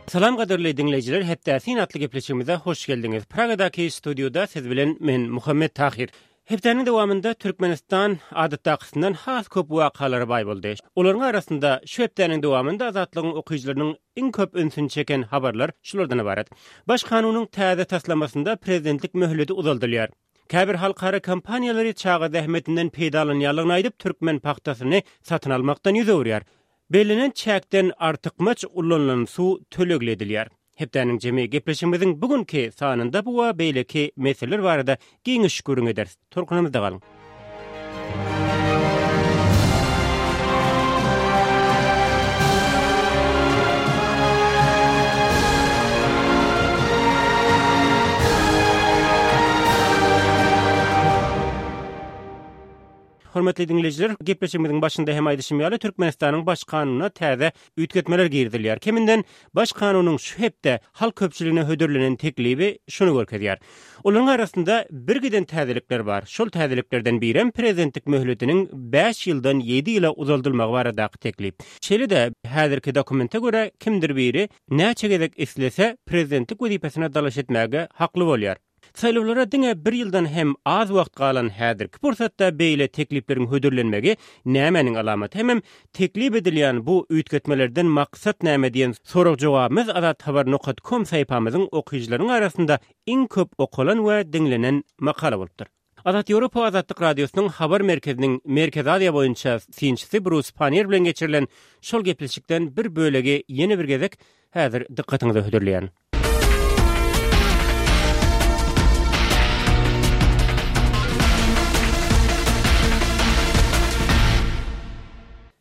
Salam gadyrly diňleýjiler, Hepdä syn atly gepleşigimize hoş geldiňiz. Pragadaky studiýada siz bilen men Muhammet Tahyr. Hepdäniň dowamynda Türkmenistan adatdakysyndan has köp wakalara baý boldy. Olaryň arasynda şu hepdäniň dowamynda Azatlygyň okyjylarynyň iň köp ünsüni çeken habarlar şulardan ybarat. Baş kanunyň täze taslamasynda prezidentlik möhleti uzaldylýar. Käbir halkara kompaniýalary çaga zähmetinden peýdalanýanlygyny aýdyp, türkmen pagtasyny satyn almakdan ýüz öwürýär. Bellenen çäkden artykmaç ulanylan suw tölegli edilýär. Hepdäniň jemi gepleşigimiziň bu günki sanynda bu we beýleki meseleler barada giňiş gürrüň ederis. Tolkunymyzda galyň! Hormatly diňleýjiler, gepleşigimiziň başynda hem aýdyşym ýaly, Türkmenistanyň Baş Kanunyna täze üýtgetmeler girizilýär. Keminden Baş Kanunyň şu hepde halk köpçüligine hödürlenen teklibi şuny görkezýär. Olaryň arasynda birgiden täzelikler bar. Şol täzeliklerden birem prezidentlik möhletiniň bäş ýyldan ýedi ýyla uzaldylmagy baradaky teklip. Şeýle-de, häzirki dokumente görä, kimdir biri näçe gezek islese, prezidentlik wezipesine dalaş etmäge hakly bolýar. Saýlawlara diňe bir ýyldan hem az wagt galan häzirki pursatda beýle teklipleriň hödürlenmegi nämäniň alamaty hemem teklip edilýän bu üýtgetmelerden maksat näme diýen sorag-jogabymyz azathabar nokat kom saýpamyzyň okyjylarynyň arasynda iň köp okalan we diňlenen makala bolupdyr. Azat Ýewropa Azatlyk Radiosynyň Habar merkeziniň Merkezi Aziýa boýunça synçysy Brus Pannier bilen geçirilen şol gepleşikden bir bölegi ýene bir gezek häzir dykgatyňyza hödürleýän.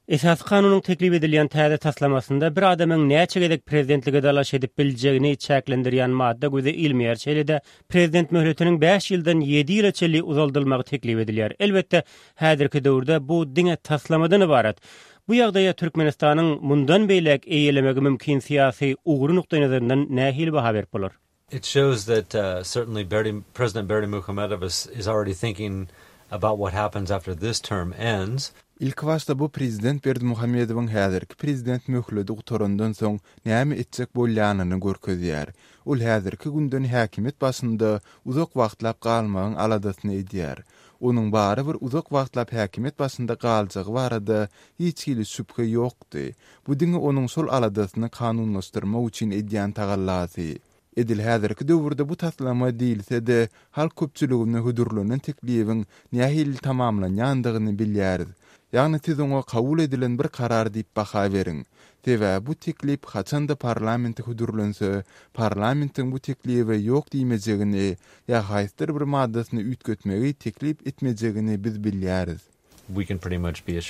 Esasy Kanunyň teklip edilýän täze taslamasynda bir adamyň näçe gezek prezidentlige dalaş edip biljegini çäklendirýän madda göze ilmeýär, şeýle-de prezident möhletiniň bäş ýyldan ýedi ýyla çenli uzaldylmagy teklip edilýär. Elbetde, häzirki döwürde bu diňe taslamadan ybarat. Bu ýagdaýa Türkmenistanyň mundan beýläk eýelemegi mümkin syýasy ugry nukdaýnazaryndan nähili baha berip bolar? It shows that certainly Berdi, President Berdimuhamedow is is already thinking about what happens after this term ends. Ilkibaşda bu prezident Berdimuhamedowyň häzirki prezident möhledi gutarandan soň näme etjek bolýanyny görkezýär. Ol häzirki günden häkimiýet başynda uzak wagtlap galmagyň aladasyny edýär. Onuň barybir uzak wagtlap häkimiýet başynda galjagy barada hiç hili şübhe ýokdy. Bu diňe onuň şol aladasyny kanunlaşdyrmak üçin edýän tagallasy. Edil häzirki döwürde bu taslama diýilse-de, halk köpçüligine hödürlenen teklibiň nähili tamamlanýandygyny bilýäris. Ýagny siz oňa kabul edilen bir karar diýip baha beriň. Sebäbi bu teklip haçan-da parlamente hödürlense, parlamentiň bu teklibe ýok diýmejegini ýa haýsydyr bir maddasyny üýtgetmegi teklip etmejegini biz bilýäris. We can pretty much be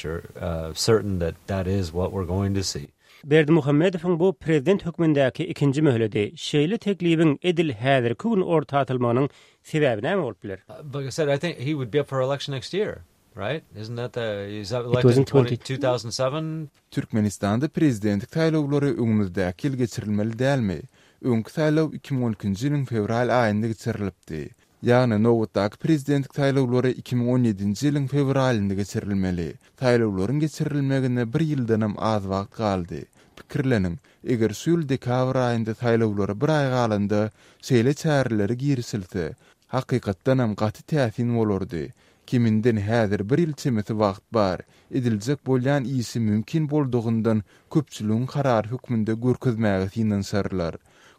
certain that that is what we're going to see. Berdimuhamedowyň bu prezident hökmündäki ikinji möhledi. Şeýle teklibiň edil häzirki gün orta atylmagynyň sebäbi näme bolup biler? Like I said, I think he would be up for election next year. Right? Isn't that the, is that elected in 2007? Türkmenistanda prezidentlik saýlawlary öňümizdäki ýyl geçirilmeli dälmi? Öňki saýlaw 2012-nji ýylyň fewral aýynda geçirilipdi. Ýagny nobatdaky prezidentlik saýlawlary 2017-nji ýylyň fewralynda geçirilmeli. Saýlawlaryň geçirilmegine bir ýyldanam az wagt galdy. Pikirleniň, eger şu ýyl dekabr aýynda saýlawlara bir aý galanda şeýle çärelere girişilse, hakykatdanam gaty täsin bolardy. Keminden häzir bir ýyl çemesi wagt bar. Ediljek bolýan işi mümkin boldugyndan köpçüligiň karary hökmünde görkezmäge synanyşarlar.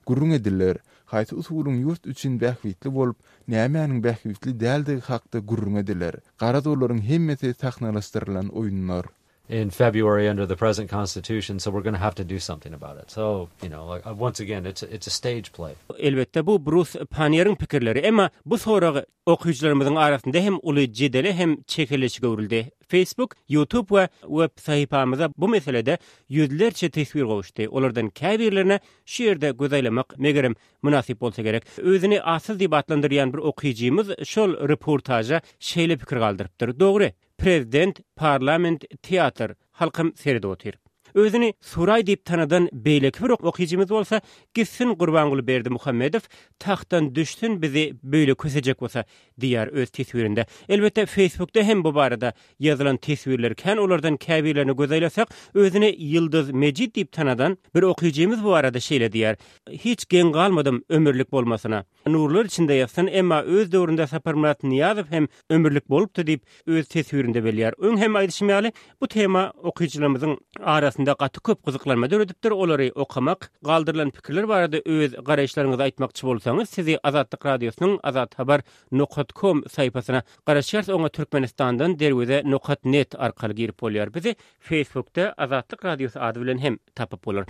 Gürrüň ediler. Haýsy usulyň ýurt üçin bähbitli bolup, nämäniň bähbitli däldigi hakda gürrüň ediler. Garaz olaryň hemmesi sahnalaşdyrylan oýunlar. In February under the present constitution so we're gonna have to do something about it so you know like once again it's it's a stage play. Elbetde bu Brus Pannieriň pikirleri emma bu sorag okyjylarymyzyň arasynda hem uly jedele hem çekeleşige öwrüldi. Facebook, YouTube we web sahypamyza bu meselede ýüzlerçe teswir gowuşdy. Olardan käbirlerine şu ýerde göz aýlamak megerem mynasyp bolsa gerek. Özüni Atsyz diýip atlandyrýan bir okyjymyz şol reportaža şeýle pikir galdyrypdyr, Dogry, Prezident, parlament, teatr, halkam seredip otyr. Özüni Suraý diýip tanadan beýleki bir okyjymyz bolsa, Gitsin Gurbanguly Berdimuhamedow, tagtdan düşsün bizi beýle kösejek bolsa diýýär öz teswirinde. Elbetde Facebookda hem bu barada ýazylan teswirler kän olardan käbirlerine göz aýlasak, özüni Ýyldyz Mejit diýip tanadan bir okyjymyz bu barada şeýle diýýär, Hiç geň galmadym ömürlik bolmasyna. Nurlar içinde ýatsyn, emma öz döwründe Saparmyrat Nyýazow hem ömürlik bolupdy diýip, öz teswirinde belleýär. Öň hem aýdyşym ýaly, bu tema okyjylarymyzyň arasynda gaty köp gyzyklanma döredipdir. Olary okamak, galdyrylan pikirler barada öz garaýyşlaryňyzy aýtmakçy bolsaňyz, sizi Azatlyk Radiosynyň Azathabar nokat kom saýpasyna garaşýarys, oňa Türkmenistandan Derweze nokat net arkaly girip bolýar. Bizi Facebookda Azatlyk Radiosy ady bilen hem tapyp bolar.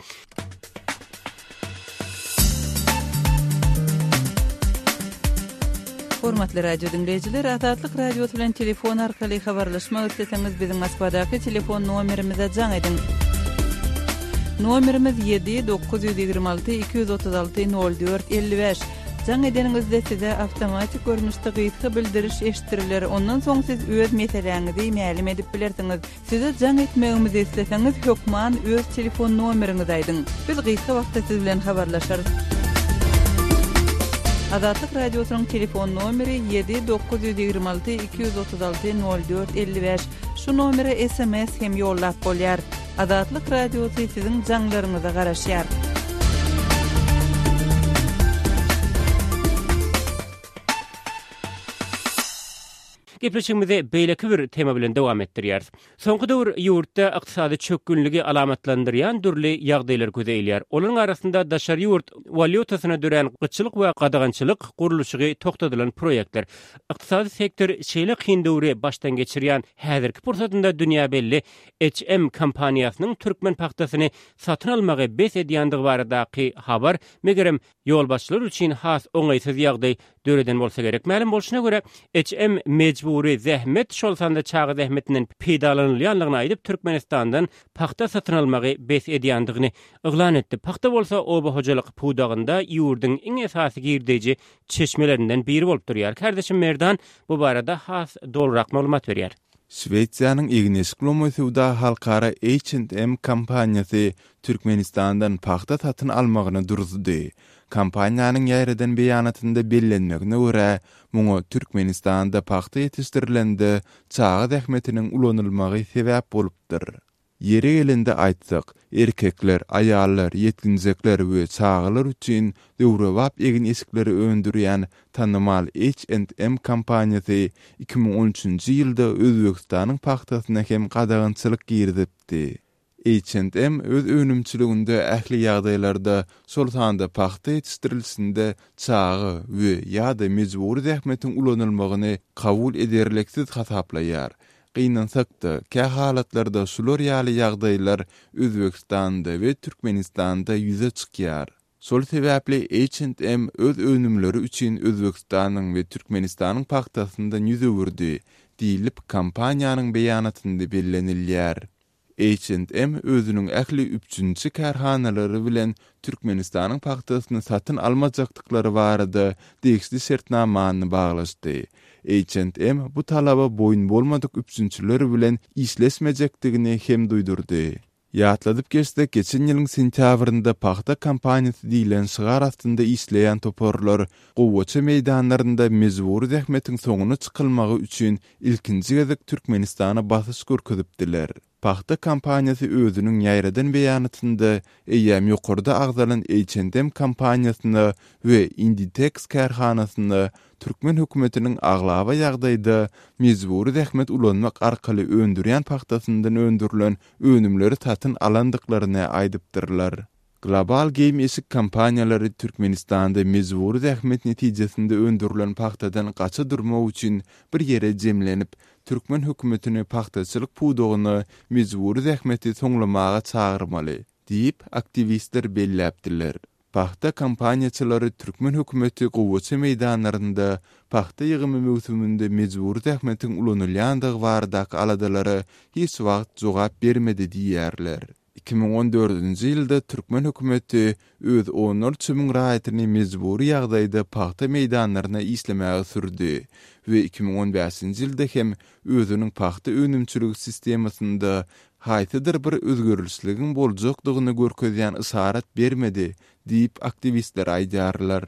Hormatly radio diňleýjiler, Azatlyk Radiosy bilen telefon arkaly habarlaşmak isleseňiz, biziň Moskwadaky telefon nomerimize jaň ediň. Nomerimiz 7 926 236 04 55. Jaň edeniňizde size awtomatik görnüşde gysga bildiriş eşitdiriler, ondan soň siz öz meseläňizi mälim edip bilersiňiz. Size jaň etmegimizi isleseňiz hökman öz telefon nomeriňizi aýdyň. Biz gysga wagtda siz bilen habarlaşarys. Azatlyk Radiosynyň telefon nomeri ýedi 926 236 04 55. Şu nomere sms hem ýollap bolýar. Azatlyk Radiosy siziň jaňlaryňyza garaşýar. Gepleşigimizi beýleki bir tema bilen dowam etdirýäris. Soňky döwür ýurtda ykdysady çökgünligi alamatlandyrýan dürli ýagdaýlar göze ilýär. Olaryň arasynda daşary ýurt walýutasyna dörän gytçylyk we gadagançylyk, gurluşygy togtadylan proýektler. Ykdysady sektor şeýle kyn döwri başdan geçirýän häzirki pursatynda dünýä belli HM kompaniýasynyň türkmen pagtasyny satyn almagy bes edýändigi baradaky habar, megerem, ýolbaşçylar üçin has oňaýsyz ýagdaý döreden bolsa gerek. Mälim bolşuna görä, HM mejbury zähmet, şol sanda çaga zähmetinden peýdalanylýandygyny aýdyp, Türkmenistandan pagta satyn almagy bes edýändigini yglan etdi. Pagta bolsa oba hojalyk pudagynda ýurduň iň esasy girdeýji çeşmelerinden biri bolup durýar. Kärdeşim Merdan bu barada has dolurak maglumat berýär. Şwesiýanyň egin-eşik lomaý söwda halkara H&M kompaniýasy Türkmenistandan pagta satyn almagyny duruzdy. Kompaniýanyň ýaýradan beýanatynda bellenmegine görä, muňa Türkmenistanda pagta ýetişdirilende çaga zähmetiniň ulanylmagy sebäp bolupdyr. Ýeri gelende aýtsak, erkekler, aýallar, ýetginjekler we çagalar üçin döwrebap egin-eşikleri öndürýän tanymal H&M kompaniýasy 2013-nji ýylda Özbegistanyň pagtasyna hem gadagançylyk girizipdi. H&M öz önümçiliginde ähli ýagdaýlarda, şol sanda pagta ýetişdirilişinde çaga we, ýa-da, mejbury zähmetiň ulanylmagyny kabul ederliksiz hasaplaýar. Gynansak-da, kähalatlarda şular ýaly ýagdaýlar Özbegistanda we Türkmenistanda ýüze çykýar. Şol sebäpli H&M öz önümleri üçin Özbegistanyň we Türkmenistanyň pagtasyndan ýüz öwürdi, diýlip, kompaniýanyň beýanatynda bellenilýär. H&M özüniň ähli üpjünçi kärhanalary bilen Türkmenistanyň pagtasyny satyn almajakdyklary barada degişli şertnamany baglaşdy. H&M bu talaba boýun bolmadyk üpjünçiler bilen işleşmejekdigini hem duýdurdy. Ýatladyp geçsek, geçen ýylyň sentýabrynda Pagta kampaniýasy diýlen şygar astynda işleýän toparlar gowaça meýdanlarynda mejbury zähmetiň soňuna çykylmagy üçin ilkinji gezek Türkmenistana basyş görkezipdiler. Pagta kampaniýasy özüniň ýaýradan beýanatynda eýýäm ýokarda agzalan H&M kompaniýasyna we Inditex kärhanasyna türkmen hökümetiniň aglaba ýagdaýda mejbury zähmet ulanmak arkaly öndürýän pagtasyndan öndürilen önümleri satyn alandyklaryny aýdypdyrlar. Global geýim-eşik kompaniýalary Türkmenistanda mejbury zähmet netijesinde öndürilen pagtadan gaça durmak üçin bir ýere jemlenip, türkmen hökümetini pagtaçylyk pudagyna mejbury zähmeti soňlamaga çagyrmaly diýip, aktiwistler belläpdiler. Pagta kompaniýaçylary türkmen hökümeti gowaça meýdanlarynda pagta ýygymy möwsüminde mejbury zähmetiň ulanylýandygy baradaky aladalara hiç wagt jogap bermedi diýýärler. 2014-nji ýylda türkmen hökümeti öz onlarça müň raýatyny mejbury ýagdaýda pagta meýdanlaryna işlemäge sürdi we 2015-nji ýylda hem özüniň pagta önümçiligi sistemasynda haýsydyr bir özgerlişligiň boljakdygyny görkezýän yşarat bermedi diýip, aktiwistler aýdýarlar.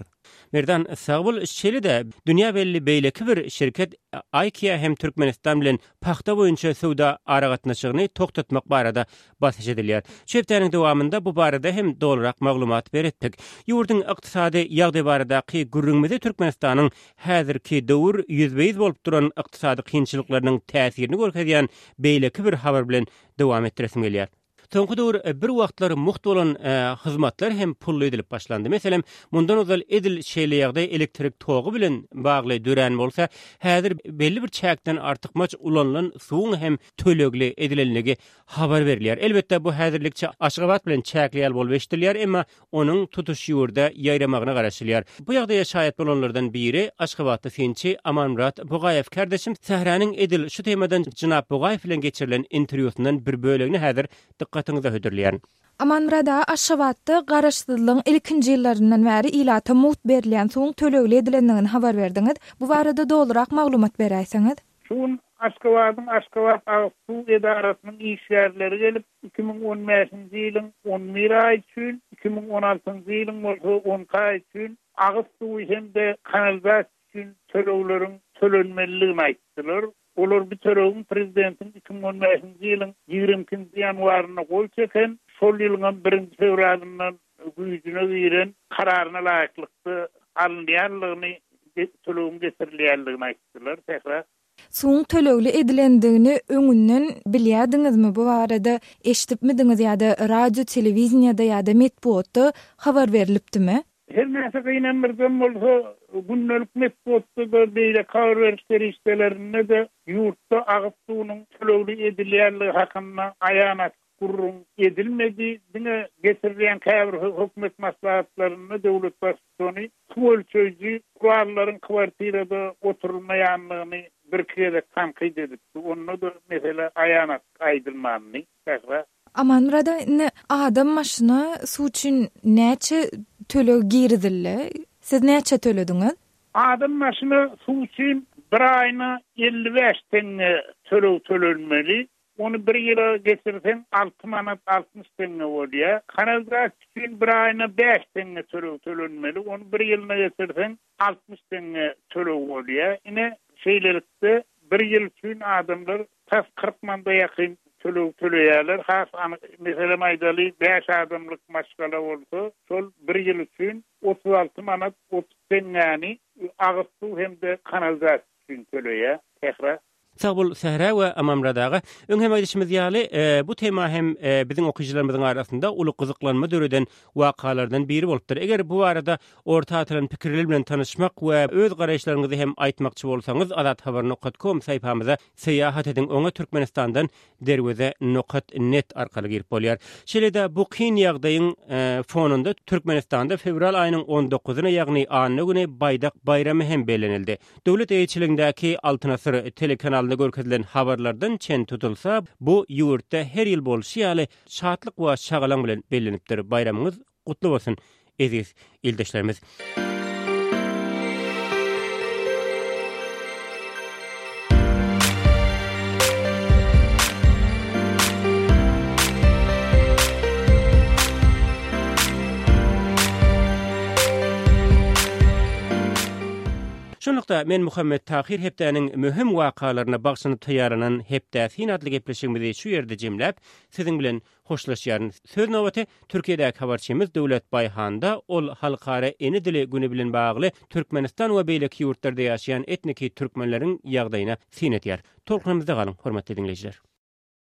Merdan, sag bol. Şeýle-de, dünýä belli beýleki bir şirket IKEA hem Türkmenistan bilen pagta boýunça söwda aragatnaşygyny togtatmak barada basyş edilýär. Şu hepdäniň dowamynda bu barada hem dolurak maglumat beretdik. Ýurduň ykdysady ýagdaýy baradaky gürrüňimizi Türkmenistanyň häzirki döwür ýüzbe-ýüz bolup duran ykdysady kynçylyklarynyň täsirini görkezýän beýleki bir habar bilen dowam etdiresim gelýär. Soňky döwür bir wagtlar mugt bolan hyzmatlar hem pully edilip başlandy. Meselem, mundan ozal edil şeýle ýagdaý elektrik togy bilen bagly dörän bolsa, häzir belli bir çäkden artykmaç ulanylan suwuň hem tölegli edilenligi habar berilýär. Elbetde, bu häzirlikçe Aşgabat bilen çäkli ýaly bolup eşidilýär, emma onuň tutuş ýurda ýaýramagyna garaşylýar. Bu ýagdaýa şaýat bolanlardan biri aşgabatly synçy Amanmyrat Bugaýew. Kärdeşim Sähräniň edil şu temadan jenap Bugaýew bilen geçirilen interwýusyndan bir bölegini häzir dykgatyňyza hödürleýärin. Amanmyrat aga, Aşgabatda Garaşsyzlygyň ilkinji ýyllaryndan bäri ilata mugt berilýän suwuň tölegli edilendigini habar berdiňiz. Bu barada dolurak maglumat beräýseňiz? Şu gün Aşgabadyň Aşgabat agyz suw edarasynyň işgärleri gelip, 2015-nji ýylyň on bir aýy üçin, 2016-njy ýylyň bolsa on iki aýy üçin agyz suwy hem-de kanalizasiýa üçin tölegleriň tölenmelidigini aýtdylar. Olar bu tölegiň prezidentiň 2015-nji ýylyň ýigrimi ikinji ýanwarynda gol çeken, şol ýylyňam birinji fewralyndan güýjüne giren kararyna laýyklykda alynýandygyny, tölegiň geçirilýändigini aýtdylar. Sähra. Suwuň tölegli edilendigini öňünden bilýärdiňizmi? Bu barada eşidipmidiňiz ýa-da radio, telewideniýede ýa-da metbugatda habar berlipdimi? Her näçe gynandyrjam bolsa, gündelik metbugatda-da, beýleki habar beriş serişdelerinde-de ýurtda agyz suwunyň tölegli edilýänligi hakynda aýan-açyk gürrüň edilmedi. Diňe geçirilýän käbir hökümet maslahatlarynda döwlet Baştutany suw ölçeýji gurallaryň kwartirada oturylmaýandygyny birki gezek tankyt edipdi. Onda-da mesele aýan-açyk aýdylmandy. Sähra. Amanmyrat aga, indi adam başyna suw üçin näçe töleg girizildi? Siz näçe tölediňiz? Adam başyna suw üçin bir aýyna 55 teňňe töleg tölenmeli. Ony bir ýyla geçirseň alty manat 60 teňňe bolýar. Kanalizasiýa üçin bir aýyna bäş teňňe töleg tölenmeli. Ony bir ýylyna geçirseň 60 teňňe töleg bolýar. Ine, şeýlelikde, bir ýyl üçin adamlar tas 40 manada ýakyn töleg töleýärler. Has anyk, meselem aýdaly, bäş adamlyk maşgala bolsa, şol bir ýyl üçin 36 manat 30 teňňäni agyz suw hem-de kanalizasiýa üçin töleýär. Sähra. Sag bol Sähra we Amanmyrat aga. Öň hem aýdyşymyz ýaly, bu tema hem biziň okyjylarymyzyň arasynda uly gyzyklanma döreden wakalardan biri bolupdyr. Eger bu barada orta atylan pikirler bilen tanyşmak we öz garaýyşlaryňyzy hem aýtmakçy bolsaňyz, azathabar nokat kom saýpamyza syýahat ediň, oňa Türkmenistandan derweze nokat net arkaly girip bolýar. Şeýle-de bu kyn ýagdaýyň fonunda Türkmenistanda fewral aýynyň on dokuzyna, ýagny anna güni Baýdak baýramy hem bellenildi. Döwlet eýeçiligindäki Altyn asyr telekanalynda görkezilen habarlardan çen tutulsa, bu ýurtda her ýyl bolşy ýaly şatlyk we şagalaň bilen bellenipdir. Baýramyňyz gutly bolsun, eziz ildeşlerimiz! Şunlukda, men Muhammet Tahyr hepdäniň möhüm wakalaryna bagyşlanyp taýýarlanan Hepdä syn atly gepleşigimizi şu ýerde jemläp, siziň bilen hoşlaşýaryn. Söz nobaty Türkiýedäki habarçymyz Döwlet Baýhanda, ol Halkara ene dili güni bilen bagly Türkmenistan we beýleki ýurtlarda ýaşaýan etniki türkmenleriň ýagdaýyna syn edýär. Tolkunymyzda galyň, hormatly diňleýjiler!